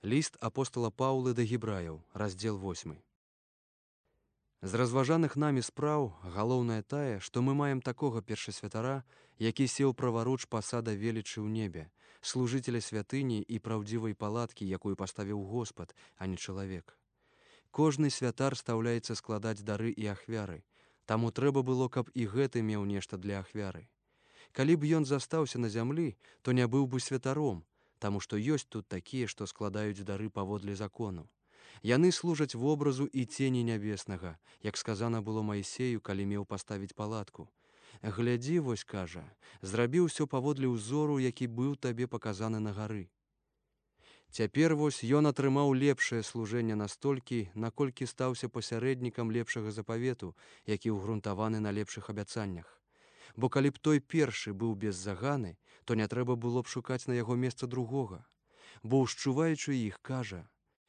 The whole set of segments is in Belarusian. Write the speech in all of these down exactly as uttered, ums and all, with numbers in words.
Ліст апостала Паўлы да гебраяў, раздзел восьмы. З разважаных намі спраў галоўнае тае, што мы маем такога першасвятара, які сеў праваруч пасада велічы ў небе, служыцеля святыні і праўдзівай палаткі, якую паставіў Господ, а не чалавек. Кожны святар стаўляецца складаць дары і ахвяры, таму трэба было, каб і гэты меў нешта для ахвяры. Калі б ён застаўся на зямлі, то не быў бы святаром, таму што ёсць тут такія, што складаюць дары паводле закону. Яны служаць вобразу і цені нябеснага, як сказана было Маісею, калі меў паставіць палатку. Глядзі, вось, кажа, зрабіў усё паводле ўзору, які быў табе паказаны на гары. Цяпер вось ён атрымаў лепшае служэнне настолькі, наколькі стаўся пасярэднікам лепшага запавету, які ўгрунтаваны на лепшых абяцаннях. Бо калі б той першы быў без заганы, то не трэба было б шукаць на яго месца другога. Бо ўшчуваючы іх, кажа: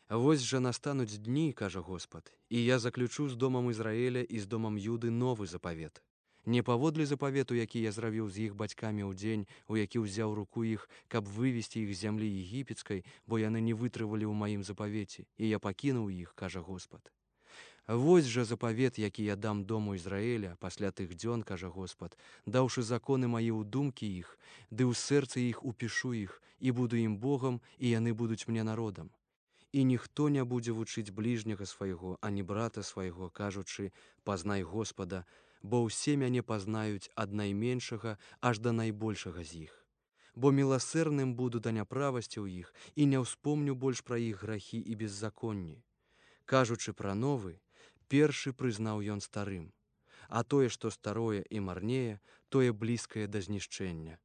«Вось жа настануць дні, кажа Господ, і я заключу з домам Ізраіля і з домам Юды новы запавет. Не паводле запавету, які я зрабіў з іх бацькамі ў дзень, у які ўзяў руку іх, каб вывесці іх з зямлі егіпецкай, бо яны не вытрывалі ў маім запавеце, і я пакінуў іх, кажа Господ. Вось жа запавет, які я дам дому Ізраіля пасля тых дзён, кажа Господ, даўшы законы мае ў думкі іх, ды ў сэрцы іх упішу іх, і буду ім Богам, і яны будуць мне народам. І ніхто не будзе вучыць бліжняга свайго, ані брата свайго, кажучы: пазнай Господа, бо ўсе мяне пазнаюць ад найменшага аж да найбольшага з іх. Бо міласэрным буду да няправасці ў іх, і не ўспомню больш пра іх грахі і беззаконні. Кажучы пра новы, першы прызнаў ён старым, а тое, што старое і марнее, тое блізкае да знішчэння.